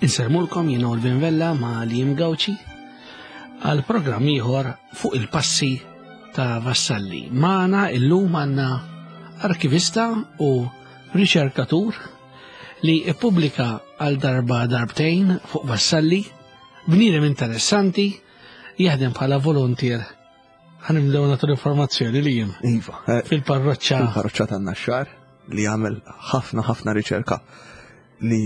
Insellmulkom jien Olvin Vella ma' Liam Gauci għal programm ieħor fuq il-passi ta' Vassalli. Magħna illum għandna arkivista u riċerkatur li ippubblika għal darba darbtejn fuq Vassalli, bniedem interessanti, jaħdem bħala volontier. Ħanibdew nagħtu l-informazzjoni li jien. Iva. Eh, fil-parroċċa. Fil-parroċċa tan-Naxxar li jagħmel ħafna ħafna riċerka li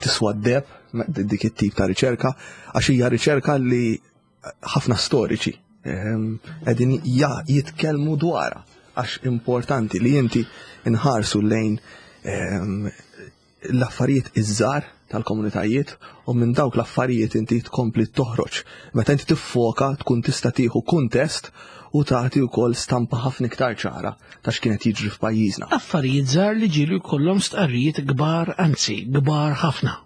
tiswa d-deb dik it-tip ta' riċerka għax hija riċerka li ħafna storiċi ehm, qegħdin jitkellmu dwarha għax importanti li inti nħarsu lejn ehm, l-affarijiet iż-żgħar tal-komunitajiet u minn dawk l-affarijiet inti tkompli toħroġ. Meta inti tiffoka tkun tista' tieħu kuntest u tagħti wkoll stampa ħafna iktar ċara ta' x'kienet jiġri f'pajjiżna. Affarijiet żgħar li ġielu jkollhom stqarrijiet kbar, anzi kbar ħafna.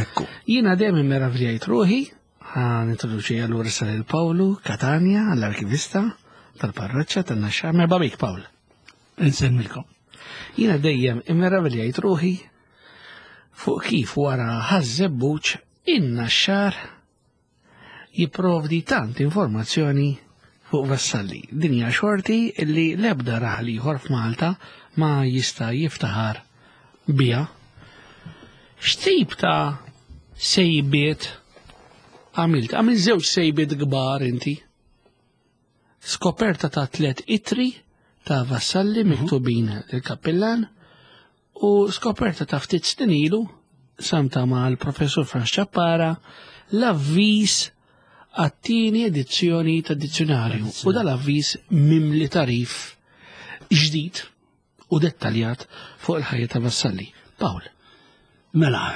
Ekku. Jiena dejjem immeravljajt ruħi, ħa nintroduċi allura sa lil Pawlu Catania, l-arkivista tal-parroċċa tan-Naxxar. Merba bik Pawl. Insemmilkom. Jiena dejjem immeraviljajt ruħi fuq kif wara ħaż-żebbuġ in-Naxxar jipprovdi tant informazzjoni fuq Vassalli. Din hija xorti li l-ebda raħal ieħor f'Malta ma jista' jiftaħar biha. X'tip ta' sejbiet għamilt? Għamilt żewġ sejbiet kbar inti. Skoperta ta' tlet itri ta' Vassalli mhm. miktubin lill-kappillan u skoperta ta' ftit snin ilu samta ma' l-professur Franz Ċappara l-avviż għat-tieni edizzjoni ta' dizzjonarju u dal-avviż mimli tarif ġdid u dettaljat fuq il-ħajja ta' Vassalli. Pawl. Mela,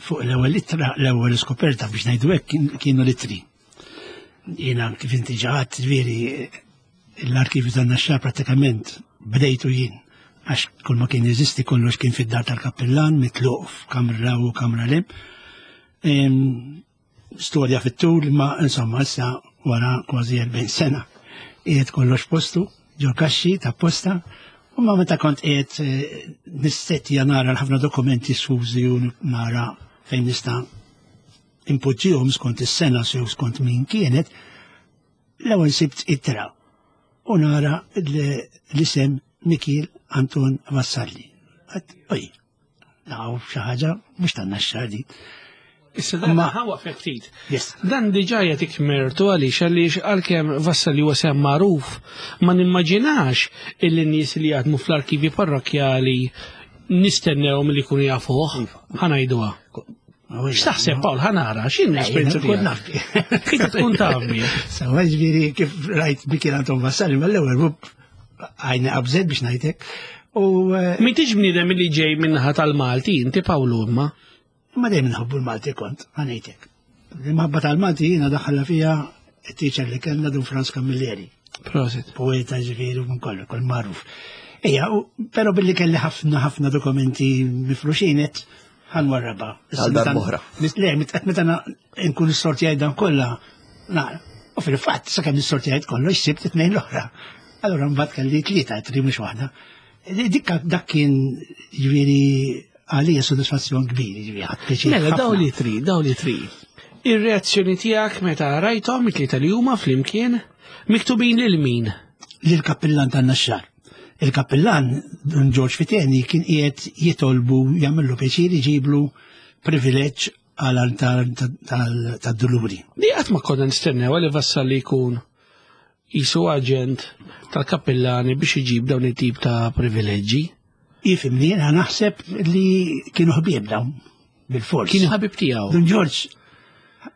fuq l-ewwel ittra, l-ewwel skoperta biex ngħidu hekk kienu l-ittri. Jiena kif inti ġaħat, ġifieri l-arkivju tan-Naxxar pratikament bdejtu jien għax kull ma kien jeżisti kollox kien fid-dar tal-kappillan mitluq f'kamra u kamra lem. Storja fit-tul ma insomma issa wara kważi 40 sena qiegħed kollox postu ġo kaxxi ta' posta u ma meta kont qiegħed eh, nistettja nara l-ħafna dokumenti sfużi u nara fejn nista' impoġġihom skont is-sena sew skont min kienet, L-ewwel sibt ittra u nara l-isem Mikiel Anton Vassalli. Oj, naw xi ħaġa mhux tan-naxxar di. Issa dan ħawa ftit. Dan diġà jagħtik mertu għaliex għaliex għalkemm Vassalli huwa sem magħruf ma nimmaġinax illi nies li jaħdmu fl-arkivi parrokkjali nistennewhom li jkunu jafuh. Iva. Ħanajduha. X'taħseb Pawl ħanara, x'in l-esperjenza tkun naf. Kif tkun taf bi? Sawa ġifieri kif rajt Mikiel Anton Vassalli mal-ewwel rup għajni qabżet biex ngħidlek. U eh, Min tiġ bniedem li ġej minnaħa tal-Malti, inti Pawlu imma. Ma dejjem nħobbu l-Malti kont, ħanejtek. L-imħabba tal-Malti jiena daħħalha fija t-teacher li kellna Dun Franz Camilleri. Prosit. Poeta ġifieri minn kollu, kol magħruf. Ejja, però billi kelli ħafna ħafna dokumenti mifruxinet, ħan warraba. Għal darbohra. Le, meta nkun sortijajt dan kollha, nara. U fil-fatt, sakemm nissortijajt kollox, sibt it-tnejn l-oħra. Allura mbagħad kelli tlieta, tri mhux waħda. Dik dak kien ġifieri għalija sodisfazzjon kbir, ġifieri ħadd pjaċir. Mela daw li tri, daw li tri. Ir-reazzjoni tiegħek meta rajthom it-tlieta li huma flimkien miktubin lil min? Lil kappillan tan-Naxxar. Il-kappillan Dun Ġorġ Fiteni kien qiegħed jitolbu jagħmillu pjaċir iġiblu privileġġ għal tad-duluri. Di qatt ma konna nistennew li Vassalli jkun jisu aġent tal-kappillani biex iġib dawn it-tip ta' privileġġi. Ifimni, jiena naħseb li kienu ħbieb dawn bil-fors. Kienu ħabib tiegħu. Dun Ġorġ,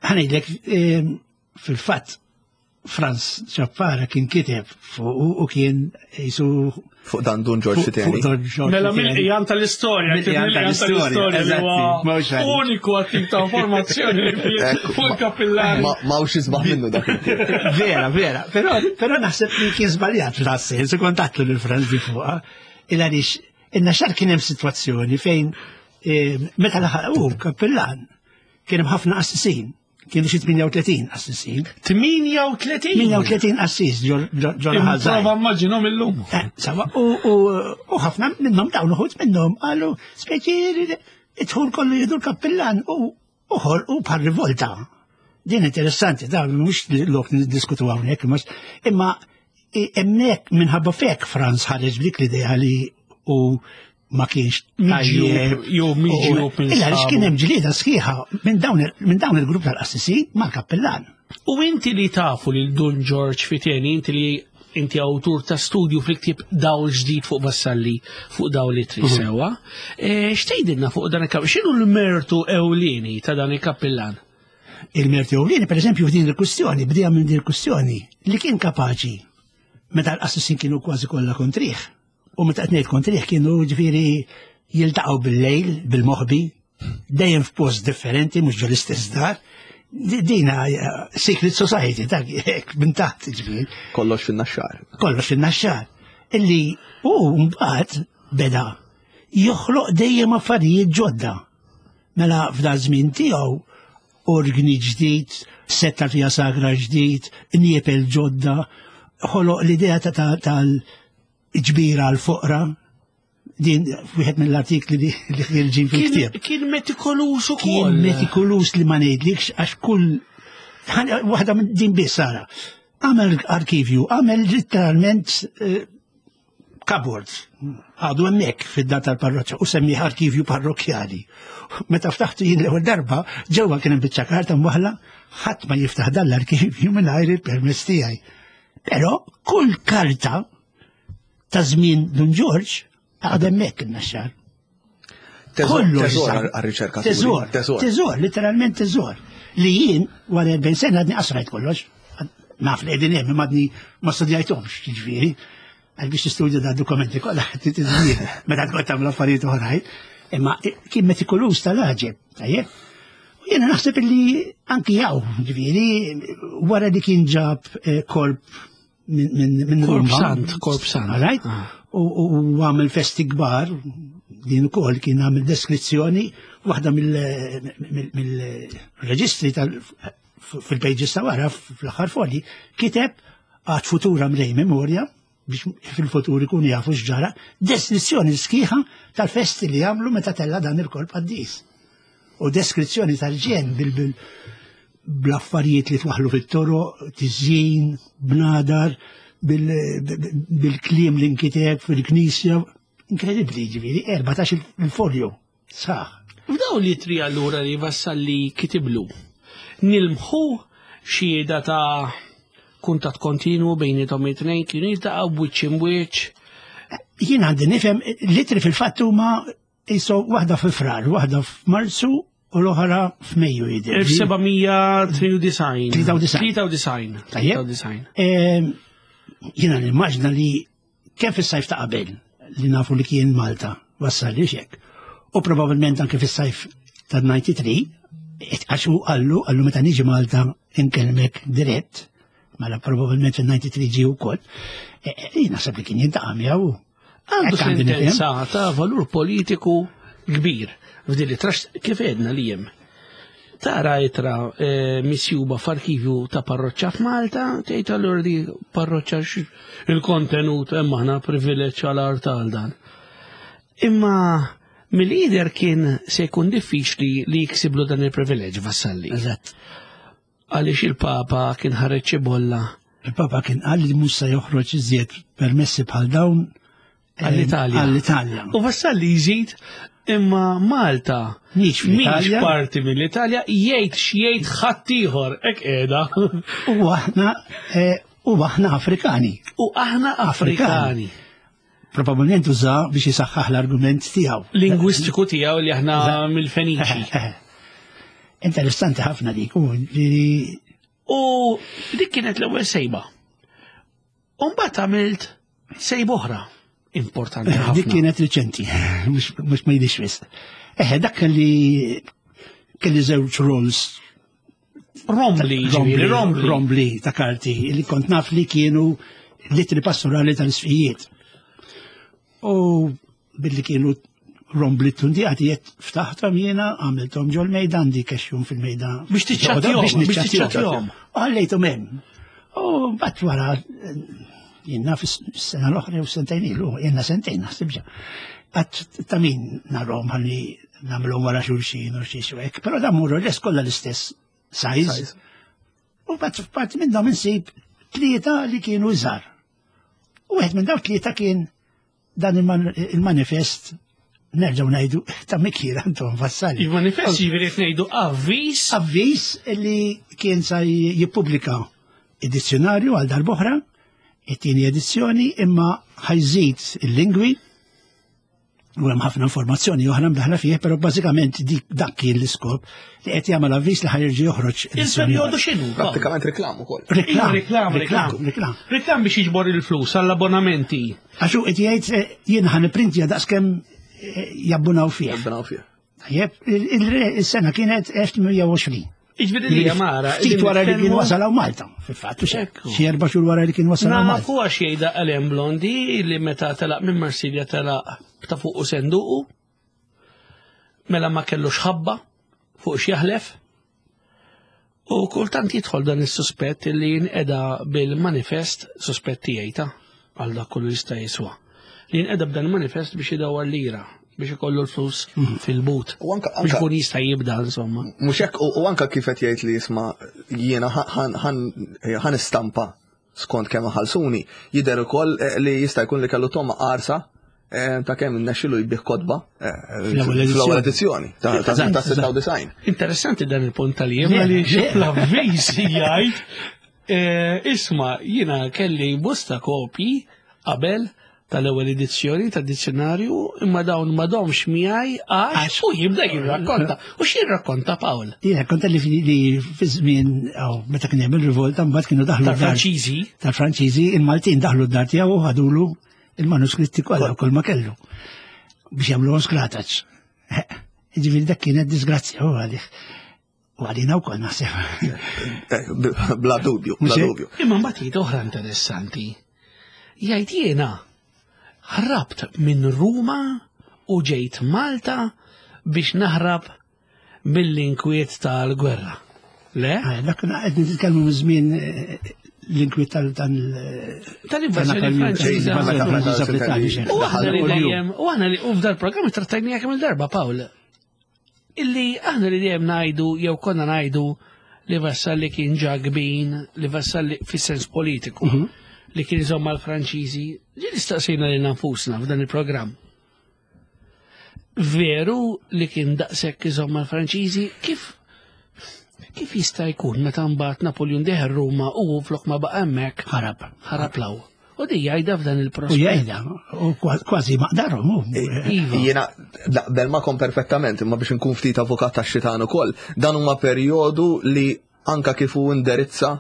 ħanejdlek eh, fil-fatt Franz Ċappara kien kiteb fuq u kien jisu. Fuq dan Dun Ġorġ Fiteni. Mela mill-qijan tal-istorja, mill-qijan tal-istorja, Uniku għattik ta' informazzjoni fuq il-kapillari. Ma ux jisbaħ minnu dak Vera, vera, però naħseb li kien żbaljat fl-assens, u kontatlu lil Franz di fuqa, il għaliex inna xar kien hemm sitwazzjoni fejn eh, meta laħaq u kappillan kien hemm ħafna assisin Kienu xi 38 assisin. 38? 38 assis ġol ħażar. Prova immaġinhom illum. Eh, sawa, u ħafna minnhom dawn uħud minnhom qalu speċi idħul kollu jieħdu l-kappillan u U ħolqu bħal rivolta. Din interessanti, da mhux lok niddiskutu hawnhekk, imma hemmhekk minħabba fek Franz ħareġ b'dik l-idea li u ma kienx tajjeb. Jew miġjub minn. Illa kien hemm ġlieda sħiħa minn dawn il-grupp tal-qassisin mal-kappellan. U inti li tafu lil Dun George Fiteni, inti li inti awtur ta' studju fil-ktieb Dawl ġdid fuq Vassalli fuq dawl li tri mhm. sewa. E, x'tgħidilna fuq dan il-kappellan? X'inhu l-mertu ewlieni ta' dan il-kappellan? Il-mertu ewlieni, per eżempju, f'din il-kwistjoni, bdejja minn din il-kwistjoni, li kien kapaċi meta l-qassisin kienu kważi kollha kontrih. U meta qed ngħid kontrih kienu ġifieri jiltaqgħu bil-lejl, bil-moħbi, dejjem f'post differenti, mhux ġol istess dar. Dina eh, secret society, dak hekk minn taħt ġifieri. Kollox fin-naxxar. Kollox fin-naxxar. Illi u mbagħad beda joħloq dejjem affarijiet ġodda. Mela f'da żmien tiegħu orgni ġdid, setta fija sagra ġdid, niepel ġodda, ħoloq l-idea tal-ġbira għal-foqra, din wieħed mill-artikli li ħirġin fil-ktieb. Kien metikolus ukoll. Kien metikolus li ma ngħidlikx għax kull waħda minn din biss sara. Għamel arkivju, għamel literalment eh, cupboard għadu hemmhekk fid-dar tal-parroċċa u semmiħ arkivju parrokkjali. Meta ftaħtu jien l-ewwel darba, ġewwa kien hemm biċċa karta mwaħla, ħadd ma jiftaħ dan l-arkivju mingħajr il-permess tiegħi. Però kull karta ta' żmien Dun Ġorġ għad hemmhekk in-naxxar. Teżor għar-riċerka. Teżor, teżor, literalment teżor. Li jien wara 40 sena għadni qasrajt kollox. Naf li qegħdin hemm imma għadni ma studjajthomx, jiġifieri. Għal biex tistudja da dokumenti kollha titżmien meta tkun tagħmel affarijiet oħrajn. Imma kien metikoluż tal-għaġeb, tajjeb. U jiena naħseb li anki jaw, ġifieri, wara li kien ġab eh, korp minn Korp Sant, Korp Sant. Right? Ah. U għamil festi kbar, din ukoll kien għamil deskrizzjoni waħda mill-reġistri fil-pages ta' wara fl-aħħar folji, kiteb għad futura mrej memorja biex fil-futur ikun jafu x'ġara, deskrizzjoni sħiħa tal-festi li għamlu meta tella dan il-korp qaddis. U deskrizzjoni tal-ġen bil bl-affarijiet li twaħlu fit-toro, tiżjin, bnadar, bil-kliem li nkiteb fil-knisja. Inkredibbli, ġifieri, 14 il-folju, sħaħ. F'dawn li tri allura li Vassalli kitiblu, nilmħu xhieda ta' kuntatt kontinwu bejnietom it-tnejn kienu jiltaqgħu b'wiċċ imbwiċċ. Jien għandi nifhem litri fil-fatt huma Iso waħda fi frar, waħda f'Marzu u l-oħra f'Mejju jidher. 1793. 93. 93. Ehm, jiena nimmaġna li kemm fis-sajf ta' qabel li nafu li kien Malta wassal li xek. U probabbilment anke fis-sajf ta' 93, għax u għallu, għallu meta niġi Malta inkellmek dirett, mela probabbilment fil-93 ġi wkoll, e, e, jien naħseb li kien jintaqa' miegħu. Għandu sentenza ta' valur politiku kbir f'din li trax kif edna li jem. Tara itra eh, misjuba f'arkivju ta' parroċċa f'Malta, tgħid allura di parroċċa il-kontenut hemm aħna privileġġ għal art għal dan. Imma mill-lider kien se jkun diffiċli li jiksiblu dan il-privileġġ Vassalli. Eżatt. Għaliex il-Papa kien ħareġ xi bolla. Il-Papa kien qal li mhux se joħroġ iżjed permessi bħal dawn eh, għall-Italja. Għall-Italja. U Vassalli jżid imma Malta mhix parti mill-Italja jgħid x'jgħid ħaddieħor hekk qiegħda. U aħna eh, u aħna Afrikani. U aħna Afrikani. Probabilment uża biex jisaħħaħ l-argument tiegħu. Lingwistiku tiegħu li aħna mill-Feniċi. Interessanti ħafna dik u li U dik kienet l-ewwel sejba. U mbagħad għamilt sejba oħra importanti ħafna. Dik kienet riċenti, mhux ma jidhirx wisq. Eħe, dak kelli kelli żewġ rolls Rombli, rombli, rombli ta' karti li kont naf li kienu litri pastorali tal-isfijiet. U billi kienu rombli tundijati jett ftaħtom jiena għamiltom ġol mejda għandi kexjum fil-mejda. Biex tiċċattjom, biex niċċattjom. Għallejtom hemm. U bat wara jiena fis-sena l-oħra u sentejn ilu, jiena sentejn naħseb ġa. Għat ta' min narhom ħalli nagħmluhom wara xulxin u xi hekk, però dan more or less kollha l-istess size. U bat parti minnhom insib tlieta li kienu iżgħar. U wieħed minn dawk tlieta kien dan il-manifest nerġgħu ngħidu ta' Mikiel Anton Vassalli. Il-manifest jiġifieri qed ngħidu avviż. Avviż li kien sa jippubblika id-dizzjonarju għal darb'oħra, it-tieni edizzjoni, imma ħajżid il-lingwi u hemm ħafna informazzjoni oħra mdaħla fih, però bażikament dik dak kien l-iskop li qed jagħmel avviż li ħajerġi joħroġ. Il-perjodu x'inhu? Prattikament reklam ukoll. Reklam, reklam, reklam, reklam. Reklam biex jiġbor il-flus għall-abbonamenti. Għax hu qed jgħid eh, jien ħa nipprintja daqskemm eh, jabbunaw fih. Jabbunaw fih. Tajjeb, il-sena kienet 1820. Iġviri li jamara. Ftit wara li kien wasal hawn Malta, fil-fatt, xi erba' xhur wara li kien wasal hawn Malta. Nafu għax jgħidha Alain Blondi li meta telaq minn Marsilja telaq ta' fuq u senduqu. Mela ma kellux ħabba fuq x'jaħlef. U kultant jidħol dan is-suspett li jinqeda bil-manifest suspett tiegħi ta' għal dak kollu jista' jiswa. Li jinqeda b'dan il-manifest biex idawwar lira biex ikollu l-flus mhm. fil-but. U anka biex ikun jista' jibda insomma. Mhux hekk u anka kif qed jgħid li jisma' jiena ħan istampa skont kemm ħalsuni, jidher ukoll eh, li jista' jkun li kellu toma qarsa eh, ta' kemm innexxilu jbih kotba eh, fl-ewwel edizzjoni ta' 96. Interessanti dan il-punt tal-jiem għaliex l-avviż jgħid isma' jiena kelli bosta kopji qabel tal-ewwel edizzjoni tad-dizzjonarju imma dawn m'għadhomx miegħi għax u jibda jirrakkonta. U x'jirrakkonta Pawl? Jirrakkonta li fi żmien meta kien hemm ir-rivolta mbagħad kienu daħlu tal-Franċiżi. Tal-Franċiżi, il-Maltin daħlu d-dar tiegħu u ħadulu il-manuskritti kollha kull ma kellu biex jagħmluhom skrataċ. Ġifieri dak kienet disgrazzja u għalih. U għalina wkoll naħseb. Eh, bla dubju, bla dubju. Imma mbagħad jgħid oħra interessanti. Jgħid jiena ħrabt minn Ruma u ġejt Malta biex naħrab mill-inkwiet tal-gwerra. Le? Eh, dak qed nitkellmu minn żmien eh, l-inkwiet tal-invażjoni Franċiża. U aħna li dejjem, u aħna li u f'dal programm trattajnija kemm il-darba, Pawl. Illi aħna li dejjem ngħidu jew konna ngħidu li Vassalli kien ġa gbin, li Vassalli fis-sens politiku, mm -hmm. li kien iżomm mal-Franċiżi, ġi nistaqsejna lil nfusna f'dan il-programm. Veru li kien daqshekk iżomm mal-Franċiżi, kif kif jista' jkun meta mbagħad Napoleon deher Ruma u flok ma baqa' hemmhekk ħarab. Ħarab law. U di jgħidha f'dan il-prospett. U jgħidha, u kważi maqdarhom. Iva. Jiena naqbel magħkom perfettament, imma biex nkun ftit avukat tax-xitan ukoll, dan huma perjodu li anka kif hu indirizza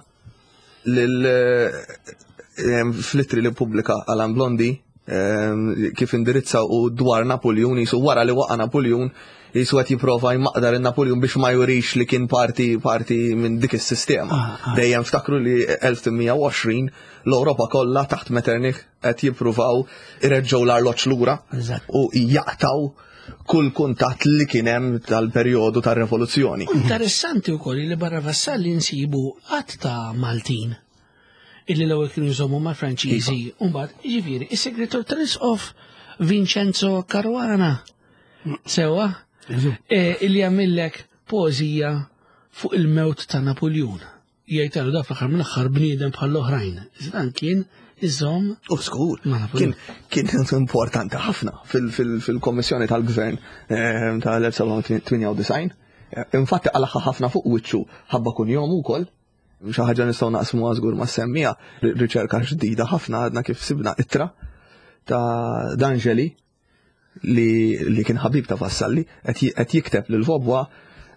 lil eh, fl-ittri li pubblika Alan Blondi eh, kif indirizza u dwar Napoleon jisu wara li waqa' Napoleon jisu qed jipprova jmaqdar in-Napoleon biex ma jurix li kien parti parti minn dik is-sistema. Ah, ah. Dejjem ftakru li 1820 L-Ewropa kollha taħt Metternich qed jippruvaw ireġġgħu l-arloġġ lura u jaqtgħu kull kuntatt li kien hemm tal-perjodu tar-revoluzzjoni. Interessanti wkoll li barra Vassalli nsibu qatt ta' Maltin illi l-ewwel kienu jżommu mal-Franċiżi, iva. u mbagħad jiġifieri is-segretar tal-Isqof Vincenzo Caruana. Sewa, eh, illi jagħmillek poeżija fuq il-mewt ta' Napoljun. Jgħid għalu da fl-aħħar mill-aħħar bniedem bħall-oħrajn. Dan kien iżomm. U skur, kien kien importanti ħafna fil-kommissjoni tal-gvern eh, tal-1998. Eh, infatti għalaħħa ħafna fuq wiċċu ħabba kun jom ukoll. Xi ħaġa nistgħu naqsmu żgur ma' semmija riċerka ġdida ħafna għadna kif sibna ittra ta' D'Angeli li, li kien ħabib ta' Vassalli, qed jikteb lil Vobwa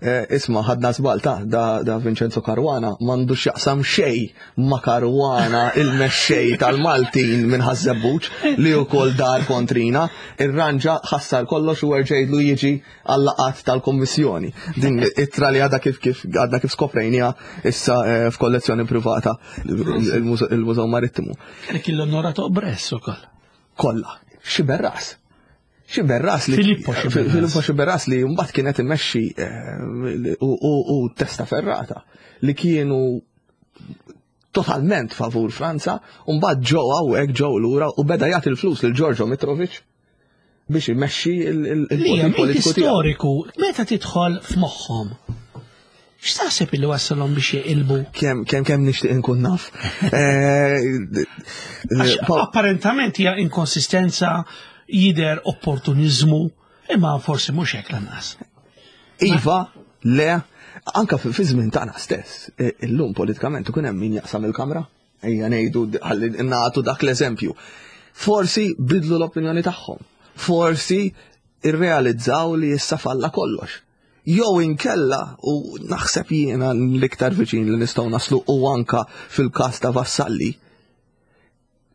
eh, isma ħadna żball ta' da, da Vincenzo Caruana m'għandu x'jaqsam xej ma' Caruana il-mexxej tal-Maltin minn Ħaż-Żebbuġ li wkoll dar kontrina, irranġa ħassar kollox u erġejdlu jiġi għal-laqat tal-Kommissjoni. Din ittra li għadha kif kif għadna kif skoprejnija issa eh, f'kollezzjoni privata il-Mużew Marittimu. Kien l-onorato Bress ukoll. kollha. Xiberras. Xiberras li Filippo Xiberras. Filippo Xiberras li mbagħad kienet imexxi eh, u testa ferrata li kienu totalment favur Franza, u mbagħad ġew hawnhekk ġew lura u beda jagħti l-flus lil Giorgio Mitrovic Biex imexxi il-politiku storiku, meta tidħol f'moħħhom. X'taħseb li wassalhom biex jeqilbu? Kemm kemm kemm nixtieq inkun naf. Eh, apparentament hija inkonsistenza jidher opportuniżmu, imma forsi mhux hekk lanqas. Iva, le, anka fi żmien tagħna stess, eh, illum politikament ikun hemm min jaqsam il-kamra. Ejja ngħidu ħalli nagħtu dak l-eżempju. Forsi bidlu l-opinjoni tagħhom. Forsi irrealizzaw li issa falla kollox. Jew inkella u naħseb jiena l-iktar viċin li nistgħu naslu u anka fil-każ ta' Vassalli,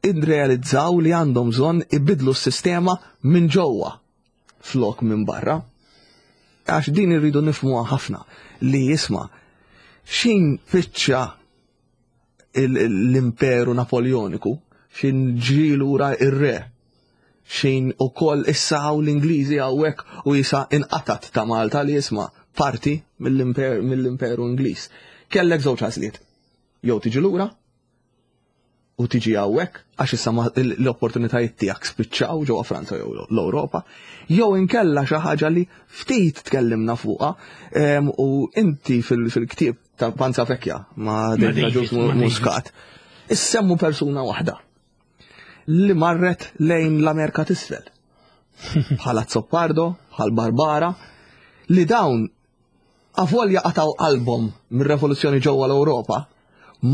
irrealizzaw li għandhom bżonn ibidlu s-sistema minn ġewwa flok minn barra. Għax din irridu nifhmuha ħafna li jisma' xin fiċċa l-imperu Napoleoniku, xin ġi lura ir-re, xin ukoll issa hawn l-Ingliżi hawnhekk u jisa inqatat ta' Malta li jisma' parti mill-imperu Ingliż. Kellek żewġ għażliet. Jew tiġi lura u tiġi hawnhekk għax issa l-opportunitajiet tiegħek spiċċaw ġewwa Franza jew l-Ewropa, jew inkella xi ħaġa li ftit tkellimna fuqha u inti fil-ktieb ta' Panza Vecchia ma' David Agius Muscat. Issemmu persuna waħda li marret lejn l-Amerika t'isfel. Bħala Zoppardo, bħal Barbara, li dawn avolja qataw qalbhom mir-revoluzzjoni ġewwa l-Ewropa,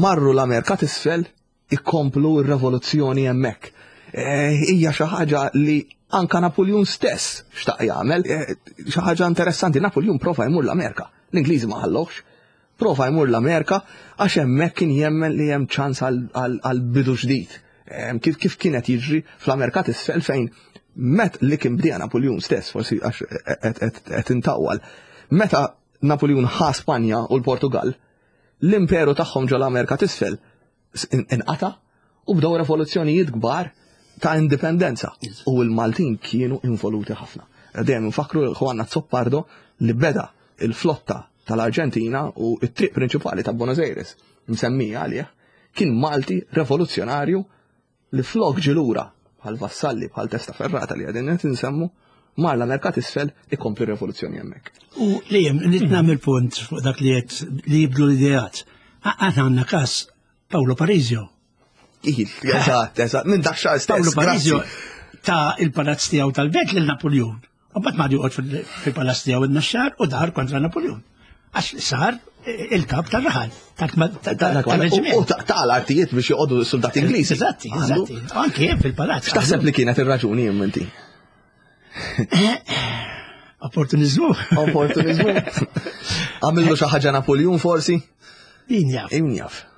marru l-Amerika t'isfel ikomplu r-revoluzzjoni hemmhekk. Eh, hija xi ħaġa li anka Napoleon stess xtaq jagħmel, eh, xi ħaġa interessanti, Napoleon prova jmur l-Amerika. L-Ingliżi ma ħallokx. Prova jmur l-Amerika għax hemmhekk kien jemmen li hemm ċans għal bidu ġdid. Eh, kif kif kienet jiġri fl-Amerika t'isfel fejn met li kien bdija Napoleon stess, forsi għax qed intawwal. Meta Napoleon ħa Spanja u l-Portugal, l-imperu tagħhom ġol Amerika t'isfel inqata' u bdew revoluzzjonijiet kbar ta' indipendenza u l-Maltin kienu involuti ħafna. Dejjem nfakru Juan Azzopardo li beda il-flotta tal-Arġentina u t-triq prinċipali ta' Buenos Aires msemmija għalih kien Malti revoluzzjonarju li flok ġie lura bħal Vassalli bħal Testaferrata li għadin qed insemmu mar l-Amerika t'isfel ikompli r-revoluzzjoni hemmhekk. U li hemm li nagħmel punt fuq dak li qed li jibdlu l-ideat. Aħna għandna każ Paolo Parisio. Eżatt, eżatt, minn dak xahar stess. Paolo Parisio ta' il-palazz tiegħu tal-belt lil Napoleon. U mbagħad ma joqgħod fil-palazz tiegħu in-Naxxar u dar kontra Napoleon. Għax sar il-kap tal-raħal, tal-reġiment. U tal-artijiet biex joqogħdu soldati Ingliżi. Eżatti, eżatti. Anke fil-palazz. X'taħseb li kienet ir-raġuni inti? Opportunizmu. Opportunizmu. Għamillu xi ħaġa Napoleon forsi? Min jaf. Min jaf.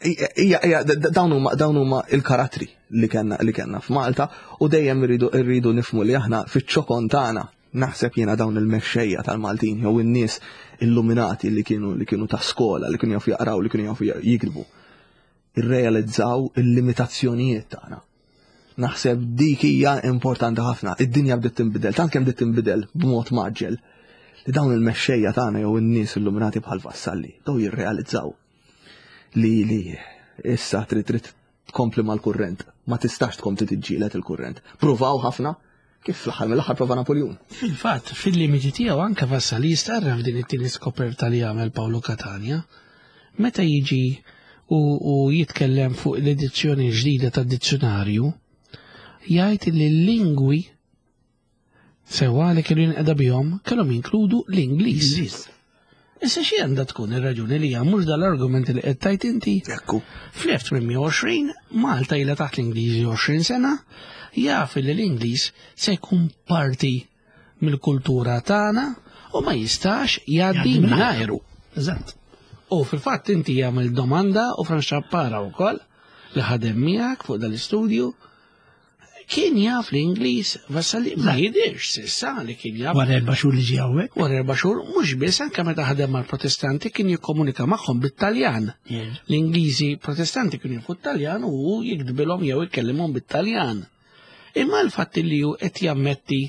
Ija, ija, dawn huma dawn huma il-karattri li kellna li kellna f'Malta u dejjem irridu irridu nifmu li aħna fiċ-ċokon tagħna naħseb jiena dawn il-mexxejja tal-Maltin jew in-nies illuminati li kienu li kienu ta' skola, li kienu jafu jaqraw, li kienu jafu jikdbu. Irrealizzaw il-limitazzjonijiet tagħna. Naħseb dik hija importanti ħafna. Id-dinja bdiet tinbidel, tant kemm bdiet tinbidel b'mod maġġel li dawn il-mexxejja tagħna jew in-nies illuminati bħal Vassalli, daw jirrealizzaw li li issa trid trid tkompli mal-kurrent, ma tistax tkompli tiġġieled il-kurrent. Pruvaw ħafna, kif fl-aħħar mill-aħħar prova Napoljun. Fil-fatt, fil-limiti tiegħu anke Vassalli jistarra f'din it-tieni skoperta li għamel Paolo Catania. Meta jiġi u, u jitkellem fuq l-edizzjoni ġdida tad-dizzjonarju, jgħid li l-lingwi Sewwa li kienu jinqeda bihom kellhom jinkludu l-Ingliż. Issa xi għandha tkun ir-raġuni li mhux dal-argument li qed tajt inti? Ekku. Fl-1820 Malta ilha taħt l-Ingliżi 20 sena, jaf li l-Ingliż se jkun parti mill-kultura tagħna u ma jistax jgħaddi mingħajru. Eżatt. U fil-fatt inti jagħmel domanda u Franz Ċappara wkoll li ħadem miegħek fuq dal-istudju Kien jaf l-Ingliż, Vassalli ma jidirx sissa li kien jaf. Wara erba' xhur li ġie hawnhekk. Wara erba' xhur mhux biss anke meta ħadem mal-Protestanti kien jikkomunika magħhom bit-Taljan. L-Ingliżi Protestanti kienu jafu t-Taljan u hu jiktbilhom jew ikellimhom bit-Taljan. Imma l-fatt li hu qed jammetti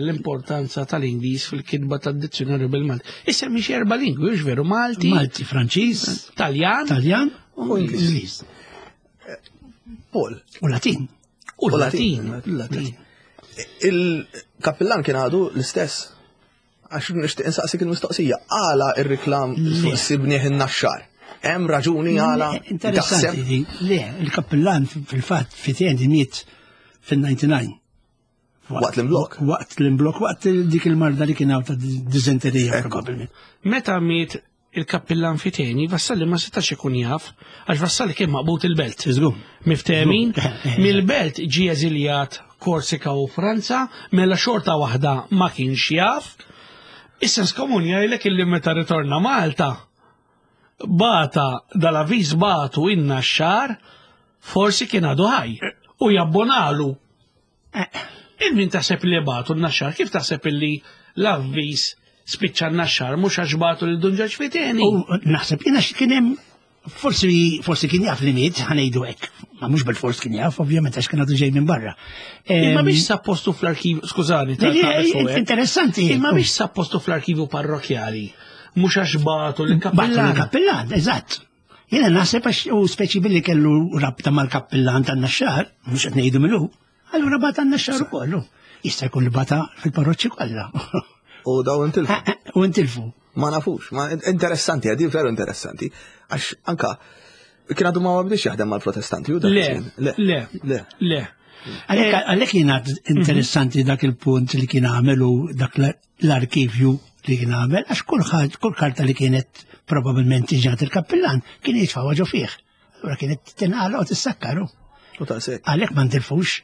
l-importanza tal-Ingliż fil-kitba tad-dizzjonarju bil-Malti. Issa mhix erba' lingwi, hux veru Malti. Malti, Franċiż, Taljan, Taljan u Ingliż. Paul. U Latin. U Latin. Latin. Il-kappillan kien għadu l-istess. Għax nixtieq insaqsik il-mistoqsija, għala ir-riklam fuq sibnieh in-naxxar? Hemm raġuni għala? Interessanti, le, il-kappillan fil-fatt fit miet fil-99. Waqt l-imblok? Waqt l-imblok, waqt dik il-marda li kien hawn ta' diżenterija probabbilment. Meta miet il-kappillan Fiteni, Vassalli ma setax ikun jaf, għax Vassalli kien maqbut il-belt. Miftemin, mill-belt ġie eżiljat Korsika u Franza, mela xorta waħda ma kienx jaf. Is-sens komun jgħidlek illi meta ritorna Malta, bata dal-avviż batu inna xar, forsi kien għadu ħaj u jabbonalu. Eh. Il-min taħseb li batu n-naxxar, kif taħseb li l-avviż spiċċa n-naxxar mhux għax batu lil Dun Ġorġ Fiteni? U naħseb jiena kien hemm forsi forsi kien jaf li miet ħanejdu hekk. Ma mhux bil-fors kien jaf, ovvjament għax kien għadu ġej minn barra. Imma biex sa postu fl-arkiv, skużani, interessanti. Imma biex sa postu fl-arkivju parrokjali, mhux għax batu l-kappellan. Batu l-kappellan, eżatt. Jiena naħseb għax u speċi billi kellu rabta mal-kappellan tan-naxxar, mhux qed ngħidu minnu, allura bata n-naxxar ukoll. Jista' jkun li bata fil-parroċċi kollha. U daw intilfu. Eh, eh, u intilfu. Ma nafux, ma interessanti, għadi veru interessanti. Għax anka kien għadu ma bdiex jaħdem mal-protestanti u dak. Le, le, le, le. Għalhekk jiena interessanti dak il-punt li kien għamel u dak l-arkivju li kien għamel, għax kull karta li kienet probabilment tiġat il-kappillan kien jitfawa ġo fih. Allura kienet tinqala u tissakkaru. U taqsek. Għalhekk ma ntilfux.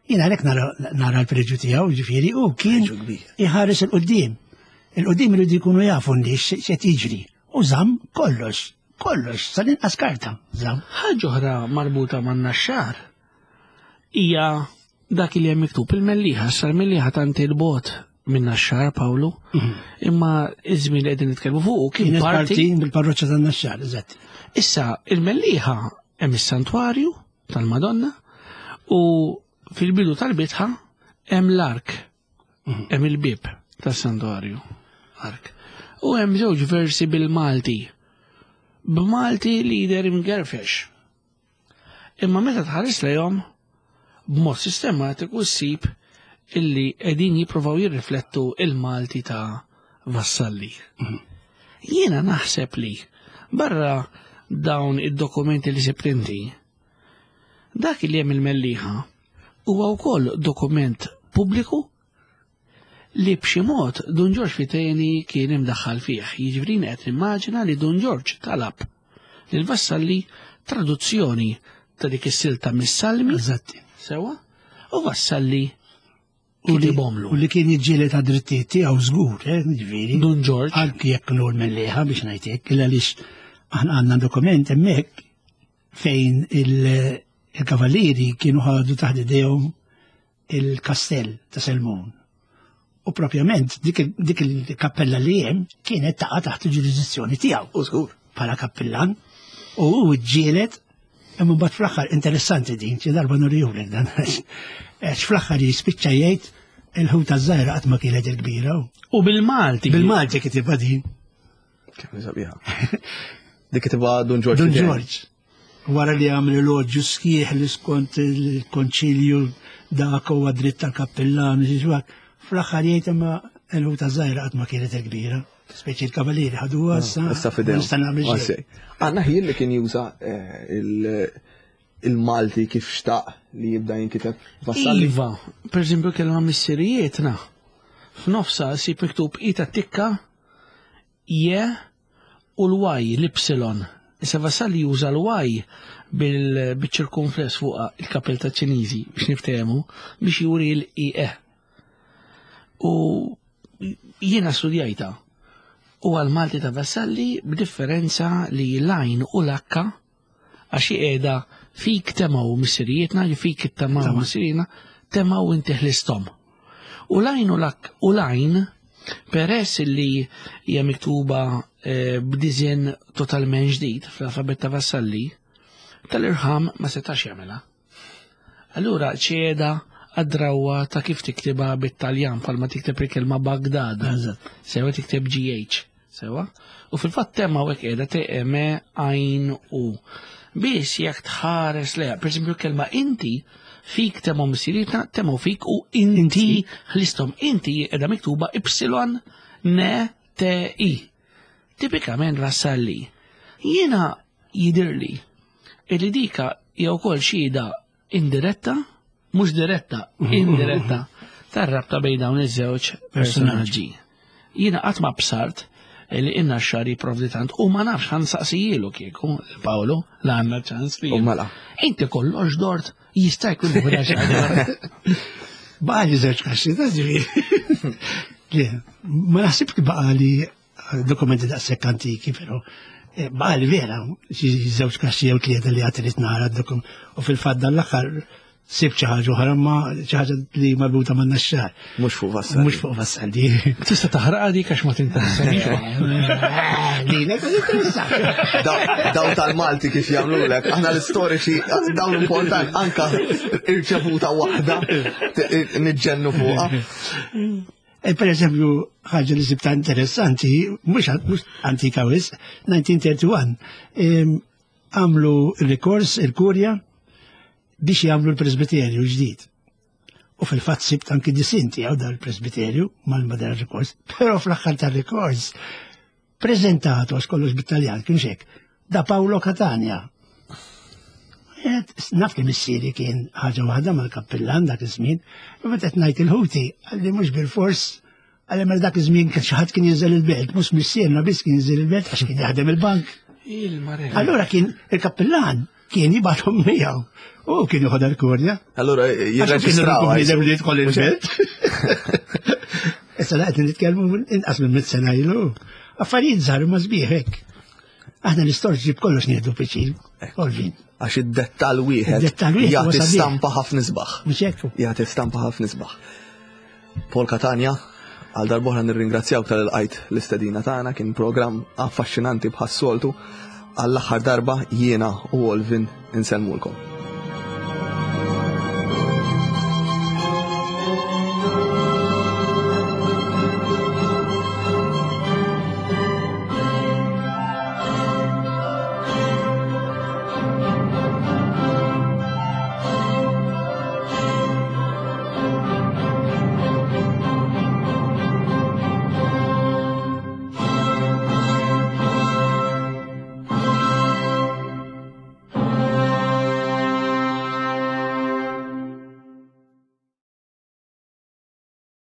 Jien għalhekk nara l-preġu tiegħu, ġifieri, u kien iħares il-qudiem. Il-qudiem iridu jkunu jafu n-nies x'qed jiġri. U żamm kollox, kollox, sal-inqas karta żamm. Ħaġa oħra marbuta man-naxxar hija dak li hemm miktub il-Mellieħa, issa l-Mellieħa tant il-bogħod minn Naxxar Pawlu, mhm. imma iż-żmien li qegħdin nitkellmu fuq kien parti mill-parroċċa tan-Naxxar, eżatt. Issa il-Mellieħa hemm is-santwarju tal-Madonna u fil-bidu tal-bitħa hemm l-ark, mhm. hemm il-bib tas-santwarju, ark. U hemm żewġ versi bil-Malti. B'Malti li jidher imgerfex. Imma meta tħares lejhom b'mod sistematiku ssib illi qegħdin jippruvaw jirriflettu il-Malti ta' Vassalli. Mhm. Jiena naħseb li barra dawn id-dokumenti li sibt inti, dak li hemm il-Mellieħa huwa wkoll dokument pubbliku li b'xi mod Dun Ġorġ Fiteni kien imdaħħal fih. Jiġifieri qed nimmaġina li Dun Ġorġ talab lil Vassalli traduzzjoni ta' dik is-silta mis-Salmi. Eżatti. Sewa? U Vassalli kitibhomlu. U li kien jiġġieled ta' drittijiet tiegħu żgur, eh, jiġifieri. Dun Ġorġ. Anki jekk nur mill-liħa biex ngħid hekk, għaliex aħna għandna dokument hemmhekk fejn il-kavallieri kienu ħadu taħt idejhom il-kastell ta' Selmun. U propjament dik il-kappella li hemm kienet taqa' taħt il-ġurisdizzjoni tiegħu. U żgur. Bħala kappillan. U hu ġġieled imma mbagħad fl-aħħar interessanti din, xi darba nurihulek dan. Għax fl-aħħar jispiċċa jgħid il-ħuta żgħira qatt ma kienet il-kbira. U bil-Malti. Bil-Malti kitibha din. Kemm sabiħa. Dik kitibha Dun Ġorġ. Dun Ġorġ. Wara li għamel eloġju sħiħ li skont il-konċilju dak huwa dritt tal-kappillan, fl-aħħar jgħid imma l-ħuta żgħira qatt ma kienet kbira. Speċi l-kavalieri ħadu ah, issa. Issa fidejhom. Nista' nagħmel xejn. Għandna ħin li kien juża eh, il-Malti kif xtaq li jibda jinkiteb Vassalli. Iva, per eżempju kellna missirijietna. F'nofsa sib miktub ita tikka je u l-Y, l-ipsilon. Issa Vassalli juża l-Y bil-ċirkumfless fuq il-kapell ta' Ċiniżi biex niftehmu biex juri l-IE. U jiena studjajta. U għal-Malti ta' Vassalli b'differenza li l-għajn u l-akka Għax hi qiegħda fik temgħu missirijietna, li fik ittamaw missirijietna, temgħu inti ħlisthom. U l-għajn u l-ak u l-għajn, peress li hija miktuba eh, b'diżin totalment ġdid fl-alfabet ta' Vassalli, tal-irħam ma setax jagħmilha. Allura ċeda għad-drawwa ta' kif tiktibha bit-Taljan bħalma tikteb il-kelma Bagdad. Sewa tikteb GH. Sewa? U fil-fatt tema u qiegħda T M għajn U. Biss jekk tħares leha, pereżempju kelma inti Fik temgħu missirietna, temgħu fik u inti ħlisthom. Inti qiegħda miktuba Y N T I. Tipikament Vassalli. Jiena jidirli illi dika hija wkoll xhieda indiretta, mhux diretta, indiretta, tar-rabta bejn dawn iż-żewġ personaġġi. Jiena qatt ma bsart li inna xar jipprovdi tant u ma nafx ħan saqsijielu kieku Paolo la għandna ċans li. Mela. Inti kollox dort jista' jkun ħuda Baqa li żewġ kaxxi, ta' ġifieri. Ma naħsibx li baqa li dokumenti daqshekk antiki, però eh, baqa li vera xi żewġ kaxxi jew tlieta li għad irid nara d-dokum u fil-fatt dan l-aħħar sib xi ħaġa oħra ma xi ħaġa li marbuta ma' naxxar. Mhux fuq Vassalli. Mhux fuq Vassalli. Tista' taħraqha dik għax ma tinteressaniex. Lilek ma tinteressax. Dawn tal-Malti kif jagħmlulek, aħna l-istoriċi dawn importanti anka irċevuta waħda niġġennu fuqha. E, per eżempju, ħaġa li sibta interessanti, mhux antika wisq, 1931, għamlu rikors il-kurja biex jagħmlu l-presbiterju ġdid. U fil-fatt sibt anki disin tiegħu dan il-presbiterju mal-madar rikors, però fl-aħħar tar-rikors preżentatu għax kollox bit-Taljan kien hekk, da Paolo Catania. Naf li missieri kien ħaġa waħda mal-kappillan dak iż-żmien, u meta qed ngħid il-ħuti għalli mhux bil-fors għalli mela dak iż-żmien kien xi ħadd kien jinżel il-belt, mhux missierna biss kien jinżel il-belt għax kien jaħdem il-bank. Allura kien il-kappillan kien jibgħathom miegħu. U kien joħodha l-kurja. Allura jirreġistraw. Bniedem li jidħol il-belt. Issa laqgħet nitkellmu inqas minn mit sena ilu. Affarijiet żgħar ma sbieħ hekk. Aħna l-istorġi b'kollox nieħdu piċin. Olvin. Għax id-dettal wieħed jagħti stampa ħafna isbaħ. Mhux hekk. Jagħti stampa ħafna isbaħ. Paul Catania, għal darbohra nirringrazzjawk tal-qajt l-istedina tagħna, kien programm affaxxinanti bħas-soltu. Għall-aħħar darba jiena u Olvin insellmulkom.